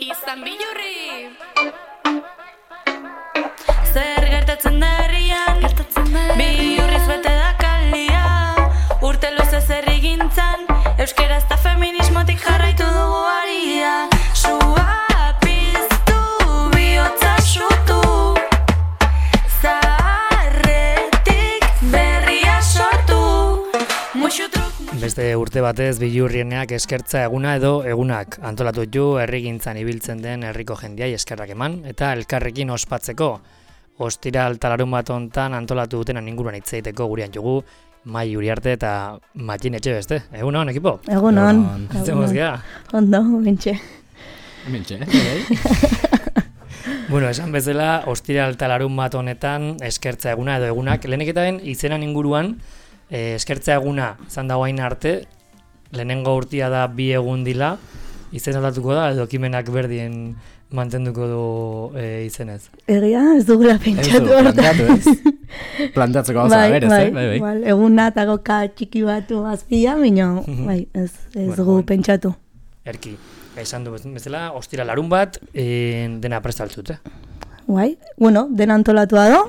izan bilurri. Zer gertatzen da herrian, bilurriz bete da kalia. Urte luzez herrigintzan, euskeraz eta feminismotik jarraitu dugu aria. Sua piztu, bihotza sutu, zaharretik berria sortu. Beste urte batez bilurrieneak eskertza eguna edo egunak antolatu du herrigintzan ibiltzen den herriko jendeai eskerrak eman eta elkarrekin ospatzeko. Ostiral talarun bat hontan antolatu dutenan inguruan hitz egiteko gurean jugu Mai Uriarte eta Matin Etxebeste. Egunon, ekipo? Egunon. Zemuz gea? Ondo, mentxe. Mentxe, Bueno, esan bezala, ostiral talarun bat honetan eskertza eguna edo egunak. Lehenik eta ben, izenan inguruan, eskertza eguna izan dago hain arte, lehenengo urtia da 2 egun dila, izen aldatuko da edo ekimenak berdien mantenduko du izenez. Egia, ez dugula pentsatu hortan. Plantatzeko gauza da berez, bai. Eguna eta goka txiki batu azpila, baina ez dugu pentsatu. Erki, esan du bezala, ostira larun bat, dena prestaltzut, Bai, bueno, dena antolatua do,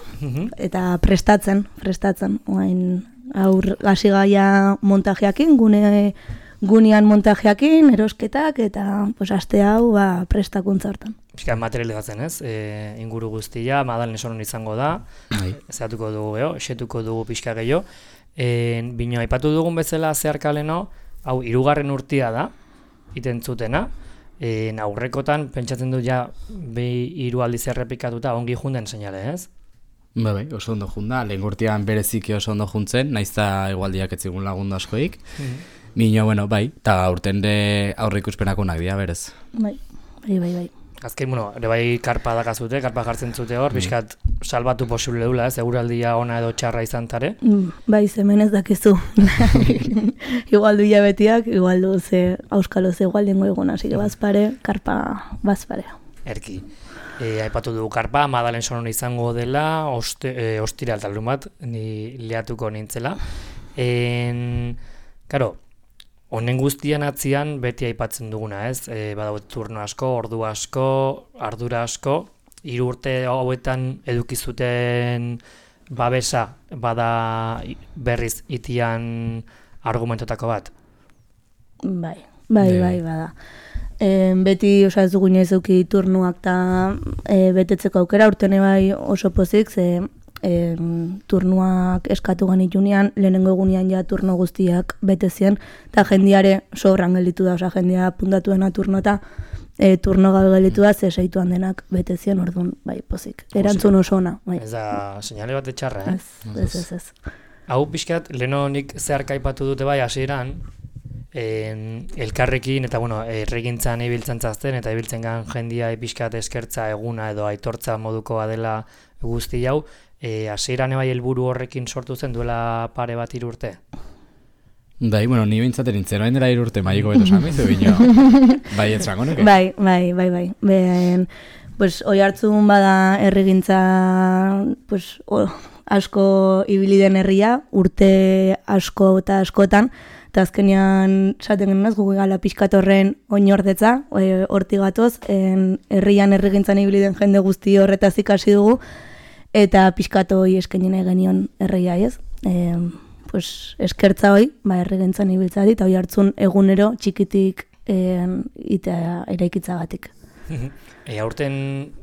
eta prestatzen. Aur hasi gaia montajeakin, gunean montajeakin, erosketak, eta aste hau prestakuntza hortan. Piskat materializatzen ez, inguru guztia, Madalen esonon izango da, zehatuko dugu, esetuko dugu pixka gehiago. Bino, aipatu dugun bezala zeharkaleno, hau 3. urtia da, itentzutena, aurrekotan, pentsatzen du ja, 2 aldiz errepikatuta ongi junden seinale ez? Bai, oso ondo junda, lehen urtean bereziki oso ondo juntzen, naizta igualdiak etzigun lagundu askoik. Bino, bueno, bai, eta aurten aurre ikuspenakonak dira, berez. Bai. Azken, ere bai karpa dakazute, karpa jartzen zute hor, bizkat salbatu posible dula, eguraldia ona edo txarra izan tare. Bai, zemen ez dakizu. Igualdu hilabetiak, igualdu auskalo ze igualdengo egon, hasi bazpare, karpa bazpare. Erki. Aipatu dugu karpa, Madalen sonon izango dela, ostira altalun bat, ni lehatuko nintzela. Karo, honen guztian atzian beti aipatzen duguna, ez? Badaut turno asko, ordu asko, ardura asko, 3 urte hauetan edukizuten babesa, bada berriz itian argumentotako bat? Bai, bada. Beti ez dugu inoiz eduki turnuak eta betetzeko aukera, urtene bai oso pozik, turnuak eskatu ganitunean, lehenengo egunean ja turno guztiak betezien, eta jendiare sobran gelditu da, jendea puntatu dena turno eta turno gabe gelditu da, seituan denak betezien, orduan bai pozik. Erantzun oso ona. Ez da, seinale bat etxarra, Ez. Hau pixkat, lehenik zeharka aipatu dute bai hasieran, elkarrekin eta erregintzan ibiltzen zazten eta ibiltzen gan jendia pixkat eskertza eguna edo aitortza modukoa dela guzti hau, hasieran bai helburu horrekin sortu zen duela pare bat 3 urte? Bai, ni bintzaten nintzen, oain dela 3 urte maiko beto samizu bino, bai etxango nuke? Bai. Hoi hartzun bada erregintza asko ibili den herria, urte asko eta askotan, eta azkenean esaten genuen ez, gugu gala pixkat horren oinordetza, horti gatoz, herrian erregintzan ibili den jende guzti horretaz ikasi dugu, eta pixkat hoi eskenien genion herria ez. Eskertza hoi, erregintzan ibiltzari, eta hoi hartzun egunero txikitik eraikitzagatik. Aurten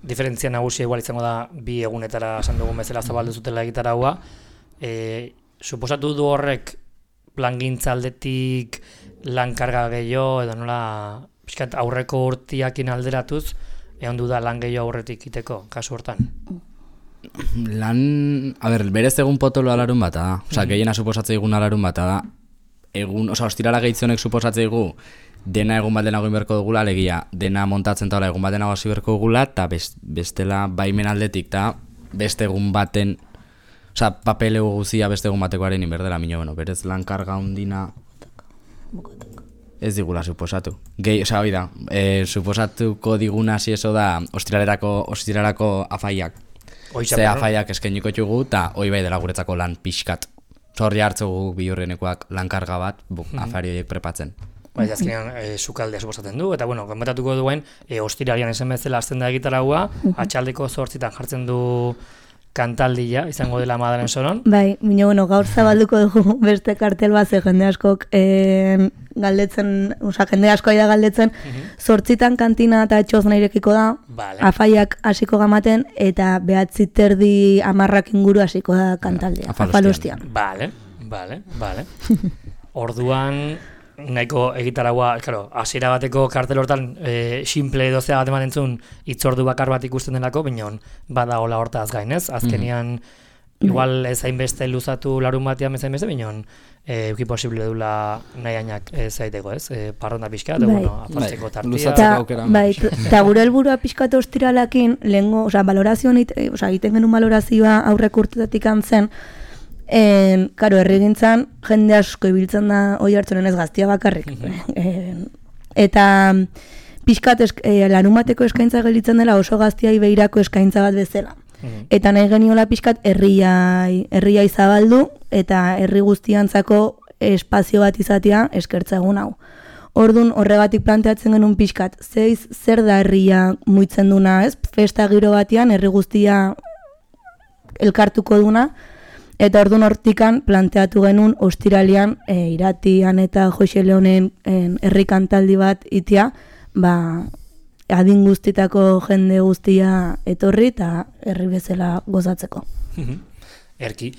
diferentzia nagusia igual izango da 2 egunetara esan dugun bezala zabaldu zutela egitaraua. Suposatu du horrek plangintza aldetik lankarga gehiago edo nola pixkat aurreko urtiakin alderatuz egon du da lan gehiago aurretik iteko, kasu hortan? Berez egun potolo alarun bata da. Osa, gehiena suposatzea egun alarun bata da. Ostirala gehitzonek suposatzea egu dena egun bat denago inberko dugula, alegia, dena montatzen taula egun bat denago hasi berko dugula, eta bestela baimen aldetik, eta beste egun baten, papelego guzia beste egun batekoaren inberdela, berez lankarga hundina ez digula suposatu. Suposatuko diguna hasi eso da ostiralerako afaiak. Ze afaiak eskainiko txugu, eta hoi bai dela guretzako lan pixkat. Zorri hartzugu bilurrenekoak lankarga bat, afari horiek prepatzen. Bai, azkenean sukaldea suposatzen du, eta bueno, komentatuko duen, ostiralian esan bezala hasten da gitaragua, atxaldeko 8 jartzen du kantaldia, izango dela Madalen Soron. Bai, bueno, gaur zabalduko dugu beste kartel bat, jende askok galdetzen, jende asko aida galdetzen, 8 kantina eta txosna irekiko da, afaiak hasiko gamaten, eta 9:30 10 inguru hasiko da kantaldia, afalostian. Vale. Orduan, nahiko egitaragua, hasiera bateko kartel hortan simple dozea bat ematen zuen hitzordu bakar bat ikusten delako, binon bada hola hortaz gain, ez? Azkenian, igual ez hainbeste luzatu larun batean bezain beste, binon euki posible dula nahianak zaiteko, ez? Parronda pixka, eta bueno, afaltzeko tartia. Bai, eta gure helburua pixkatu ostiralakin, lehengo, balorazioan, egiten genuen balorazioa aurrek urtetatik antzen, karo, herrigintzan jende asko ibiltzen da oi hartzunen ez gaztia bakarrik. Eta pixkat larumateko eskaintza gelditzen dela oso gaztiai behirako eskaintza bat bezala. Eta nahi geniola pixkat herriai zabaldu eta herri guztiantzako espazio bat izatea eskertza egun hau. Ordun horregatik planteatzen genuen pixkat, zer da herria muitzen duna, ez? Festa giro batean herri guztia elkartuko duna. Eta orduan hortikan planteatu genuen ostiralian Iratian eta Jose Leonen herri kantaldi bat itia, adin guztitako jende guztia etorri eta herri bezala gozatzeko. Erki,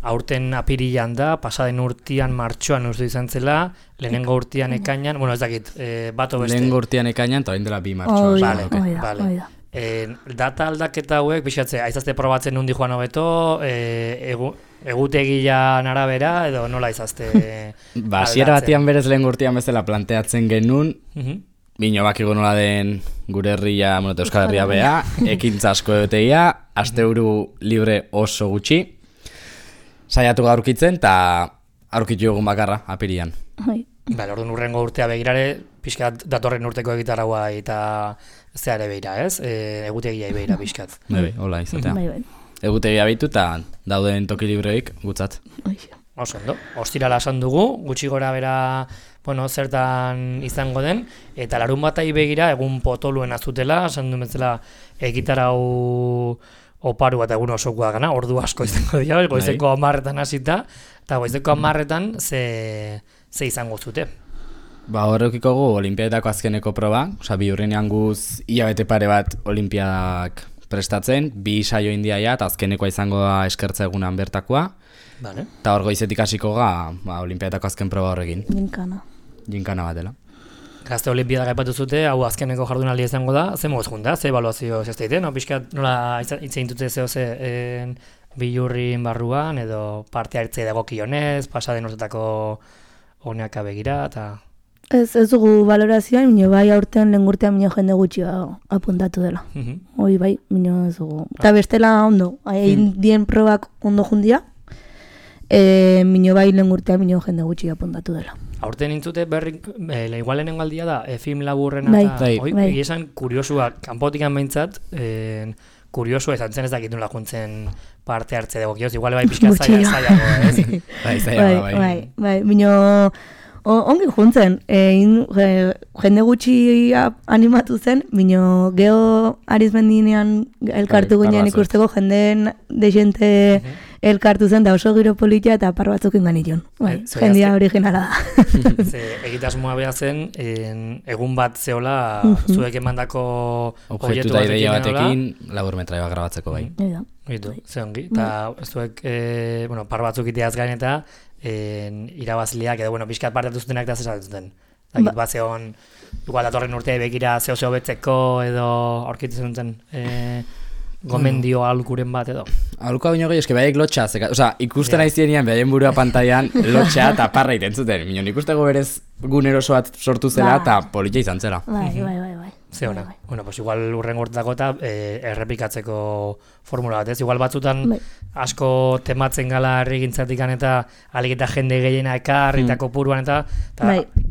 aurten apirilan da, pasaden urtean martxoan uste izan zela, lehenengo urtean ekainan, bueno ez dakit, bato beste. Lehenengo urtean ekainan, eta orain dela 2 martxoa. Bale. Data aldaketa hauek, pixatze, aizazte probatzen nundi joan hobeto, egutegian arabera, edo nola izazte hasiera batian berez lehenengo urtean bezala planteatzen genuen, bino bakigu nola den gure herria, Euskal Herria bea, ekintza asko egotegia, asteburu libre oso gutxi, saiatu aurkitzen, eta aurkitu egun bakarra, apirian. Orduan urrengo urtea begirare, pixkat datorren urteko egitaragua eta zeare behira, ez? Egutegia behira pixkat. Hola, izatea. Egutegia behitu eta dauden toki libreik gutzat. Oso ondo, ostirala esan dugu, gutxi gora bera, zertan izango den, eta larun batai begira egun potoluen azutela, esan duen betzela egitarau oparu bat egun osokoa gana, ordu asko izango dira, goizeko 10 hasita, eta goizeko 10 ze izango zute. Horrekiko gu olimpiadetako azkeneko proba, bi hurrenean guz hilabete pare bat olimpiadak prestatzen, 2 saio indiaia eta azkenekoa izango da eskertza egunan bertakoa. Eta hor goizetik hasiko ga olimpiadetako azken proba horrekin. Ginkana bat dela. Gazte olimpiadak aipatu zute, hau azkeneko jardunaldi izango da, ze moz junta, ze ebaluazio zazteiten, pixkat nola itzein dute zehoze bilurrin barruan, edo parte hartzea dagokionez, pasaden urtetako honeaka begira, eta... Ez dugu valorazioan, minio bai aurten lehengurtean minio jende gutxi apuntatu dela. Hoi bai, minio ez dugu. Eta bestela ondo, hain dien probak ondo jundia, minio bai lehengurtean minio jende gutxi apuntatu dela. Aurten intzute igual lehenengo aldia da, film laburrena eta esan kuriosua, kanpotikan behintzat, kuriosua izan zen ez dakitun laguntzen parte hartze dugu, igual bai pixka zailago, ez? Bai, minio... Ongi juntzen, jende gutxi animatu zen, minio geho arizmendinean elkartu ginen ikusteko, jendeen desente elkartu zen, da oso giro politia eta par batzuk inganition. Jendia originala da. Egitasmoa beha zen, egun bat zehola, zuek emandako objektu da ideia batekin, laburmetrai bat grabatzeko bai. Ze ongi, eta zuek par batzuk iteaz gain eta irabazliak edo pixkat parte zutenak da zesatzen zuten. Bat zehon, igual datorren urtea begira zehose hobetzeko edo aurkitzen zuten gomendio alukuren bat edo. Aluka baino gehi, eske baiek lotxa, ikusten aizienian behaien burua pantailan lotxa eta parra iten zuten. Minon ikusteko berez guneroso bat sortu zela eta politia izan zela. Bai. Ze hona. Pues igual urren urtetako eta errepikatzeko formula bat, ez? Igual batzutan asko tematzen gala herrigintzatikan eta alik eta jende gehiena ekar eta kopuruan eta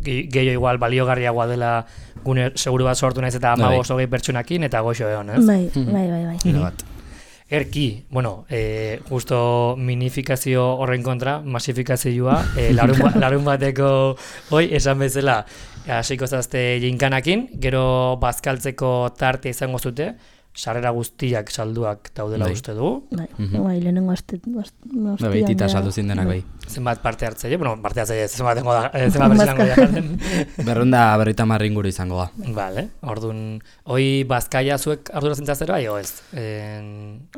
gehiago igual baliogarriagoa dela gune seguru bat sortu naiz eta 15-20 pertsonakin eta goxo egon, ez? Bai. Erki, bueno, justo minifikazio horren kontra, masifikazioa, larun bateko hoi, esan bezala, hasiko zazte jinkanakin, gero bazkaltzeko tarte izango zute, sarrera guztiak salduak daudela uste dugu. Bai, lehenengo Baitita saldu zindenak bai. Zenbat parte hartzaile, bueno, parte hartzaile, zenbat berrizango jartzen. 250 inguru izango da. Vale, orduan, hoi bazkaia zuek arduratzen zazero, aio ez,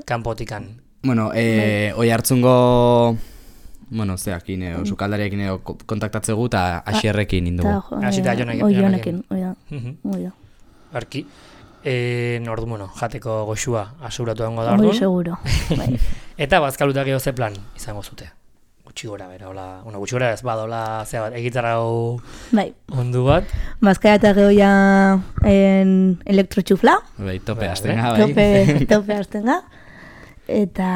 kanpotikan. Bueno, hoi hartzungo, bueno, zeakin, sukaldariakin kontaktatzegu eta Asierrekin indugu. Asita Jonekin, oi da. Arki. Ordu, bueno, jateko goxua asuratu egongo da orduan. Hori seguro. Bai. Eta bazkalutak edo ze plan izango zute. Gutxi gora bera, hola, gutxi gora ez badola, zea bat, egitarrau ondu bat. Bazkaia eta gehoia elektrotxufla. Bai, tope hasten ga, bai. Tope hasten ga. Eta,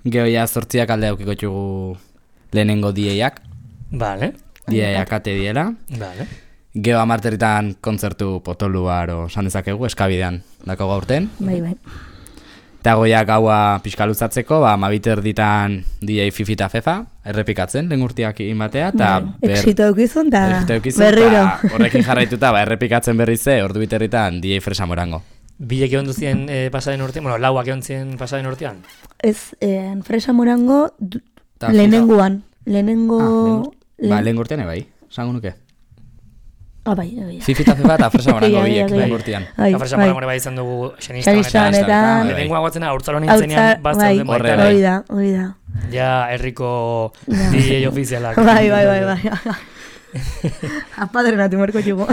gehoia 8 alde aukiko txugu lehenengo dieiak. Vale. Dieiak ate diela. Vale. Geo amarteritan kontzertu potoluar osan dezakegu, eskabidean dako gaurten. Bai. Eta goiak gaua pixka luzatzeko, mabiter ditan DJ Fifi eta Fefa, errepikatzen, lehen urtiak inbatea. Exito eukizun, eta berriro. Horrekin jarraituta, errepikatzen berrize, ordu biterritan DJ Fresa Morango. Bilek egon duzien pasaden urtean, bueno, lauak egon zien pasaden urtean? Ez, Fresa Morango lehenengoan. Lehen urtean bai, esango nuke. Bai. Fifi eta Fefa eta Fresa Morango biek lehen urtean. Fresa Morango bai izan dugu xenistan eta lehenengoa guatzen urtzalo nintzenean batzen baitara. Hori da. Ja, herriko DJ ofizialak. Bai. Apadrenatu merko txugo.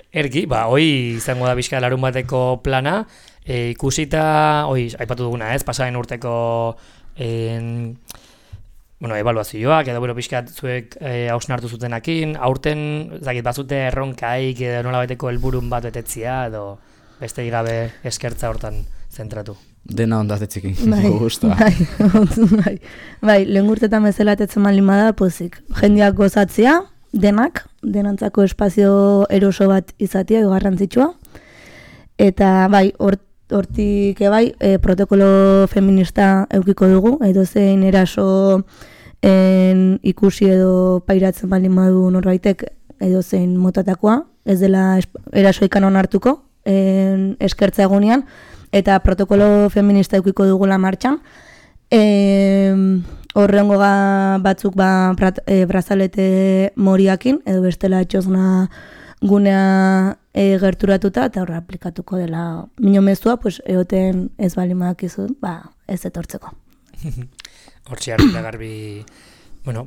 Erki, hoi izango da bizka larun bateko plana, ikusita, aipatu duguna ez, pasaren urteko ebaluazioak, edo pixkat zuek hausnartu zutenakin, aurten, bazute erronkaik, edo nola baiteko helburun bat betetzia, edo beste gabe eskertza hortan zentratu. Dena ondatetzikin, guztua. Bai, lehen urtetan bezala etetzen malimada, pozik. Jendeak gozatzea, denantzako espazio eroso bat izatea, garrantzitsua. Eta bai, hortik protokolo feminista eukiko dugu, edo zein eraso ikusi edo pairatzen baldin badu norbaitek edo zein motatakoa, ez dela erasoikan onartuko eskertza egunean, eta protokolo feminista eukiko dugula martxan. Horrengo batzuk brazalete moriakin, edo bestela etxozna gunea gerturatuta, eta horra aplikatuko dela minomezua, egoten ez baldin badakizu, ez etortzeko. Hortxe hartu garbi,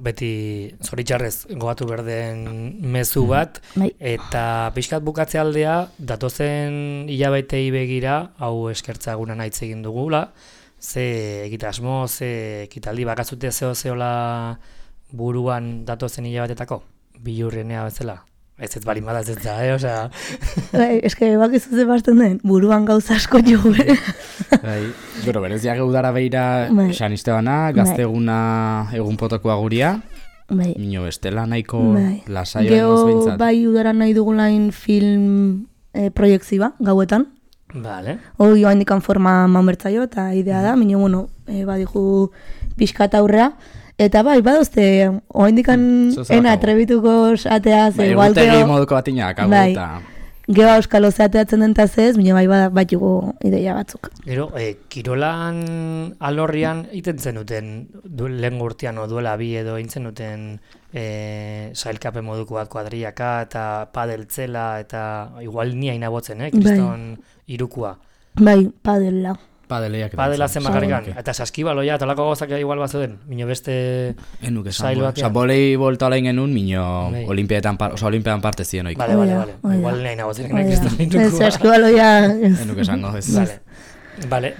beti zoritxarrez gogatu berden mezu bat, eta pixkat bukatze aldea, datozen hilabetei begira, hau eskertza egunan aitz egin dugula, ze egitasmo, ze ekitaldi bakatzute zehola buruan datozen hilabetetako, bilurrenea bezala. Ez balin bada ez da, osea... Eske, bakizu ze basten den, buruan gauza asko jugu. Gero, bereziak udara behira San Istebana, gazteguna egun potokoa guria, mino bestela nahiko lasaioa ingoz behintzat. Bai udara nahi dugulain film proiekziba, gauetan. Vale. Hoi handikan forma mamertzaio, eta idea da, mino, badihu pixkat aurrea. Eta bai, badozte, oindikan ena atrebituko ateaz, igualteo... Egutegi moduko batinak, hau eta... Geba euskalo zeateatzen dentaz ez, baina bai jugo ideia batzuk. Gero, kirolan alorrian iten zenuten, lehen urtean duela bi edo intzen duten sailkape moduko bat kuadriaka eta padeltzela eta igual nia inabotzen, kriston irukua. Bai, padela. Padela zen makarrikan, eta saskibaloia, eta olako gozak igual bat zuden, minio beste sail batean. Bolei bolta olain genuen, minio olimpiadan parte ziren oiko. Bale, igual nahi nagotzen kriston irukua. Saskibaloia... Enuk esango, ez. Bale,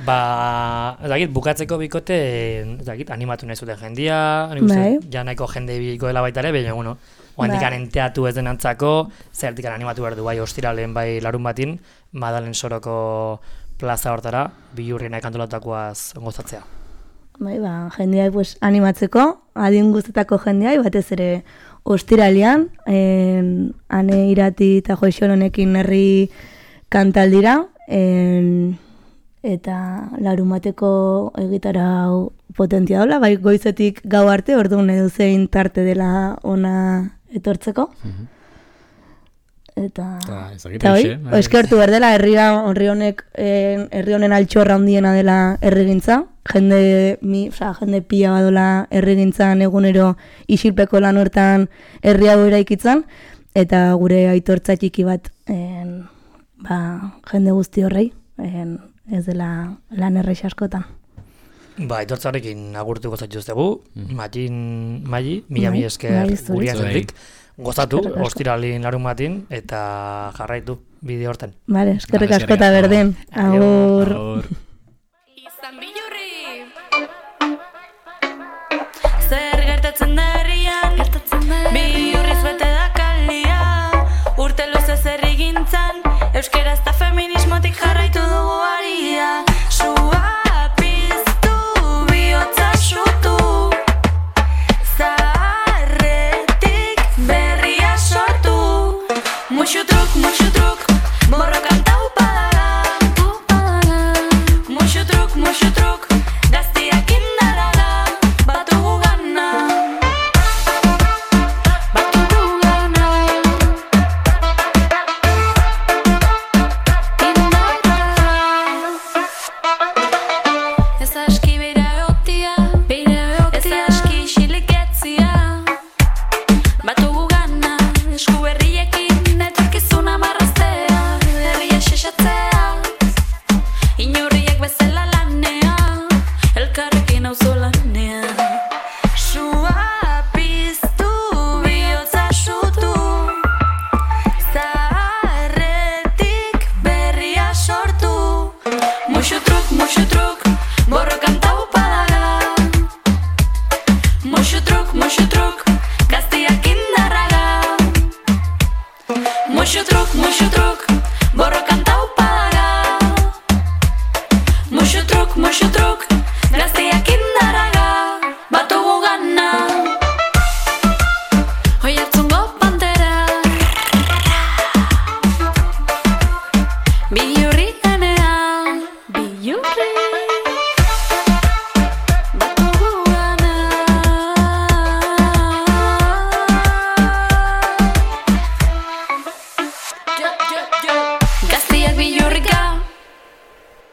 bukatzeko bikote, animatu nahi zuten jendia, ja nahiko jende biko dela baita ere, baina, oandikan enteatu ez denantzako, zertikan animatu behar du, bai, ostiralen, bai, larun batin, Madalen Soroko plaza hortara, bilurriena ekantolatakoaz gozatzea. Bai, jendeai animatzeko, adin guztetako jendeai, batez ere ostiralean, Ane Irati eta Joixon honekin herri kantaldira, eta larumateko egitarau potentia dola, bai goizetik gau arte, orduan edo zein tarte dela ona etortzeko. Eta eskertu berdela, herri honek, herri honen altxorra handiena dela herrigintza, jende pila badola herrigintzan egunero isilpeko lan hortan herri hau eraikitzen, eta gure aitortza txiki bat jende guzti horrei, ez dela lan errex askotan. Aitortzarekin agurtuko zaituztegu, Maili, mila esker guriazendik. Gozatu, ostiralin larumatin, eta jarraitu bide horten. Vale, eskerrik askota berdin. Agur. Izan bilurri. Zer gertatzen da herrian, bilurriz bete da kalia. Urte luze zer egintzan, euskeraz eta feminismotik jarraitu dugu aria. Sua piztu, bihotza sutu. Mucho truc, borrokan taupadaga. Mucho truc, gaztiak indaraga. Batugu gana. Ez aski beira egotia, ez aski xiliketzia. Batugu gana, esku berriekin. Etorkizuna marraztea, herria xexatzea. Inurriek bezala lanea, elkarrekin auzolanea. Sua piztu, bihotza sutu. Zaharretik berria sortu. Muxu truk, borrokan taupadaga. Muxu truk, gaztiak indarraga. Mucho truc, borrokan taupadaga. Mucho truc,